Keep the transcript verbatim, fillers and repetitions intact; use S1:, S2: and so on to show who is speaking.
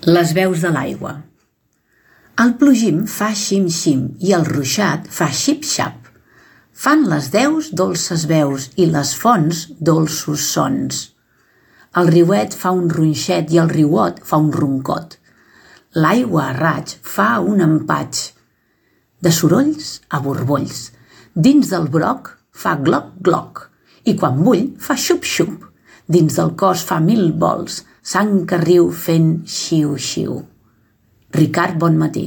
S1: Les veus de l'aigua. El plogim fa xim-xim i el ruixat fa xip-xap. Fan les deus dolces veus i les fonts dolços sons. El riuet fa un ronxet i el riuot fa un roncot. L'aigua a raig fa un empatx. De sorolls a borbolls. Dins del broc fa gloc-gloc i quan bull fa xup-xup. Dins del cos fa mil vols, sang que riu fent xiu-xiu. Ricard Bonmatí.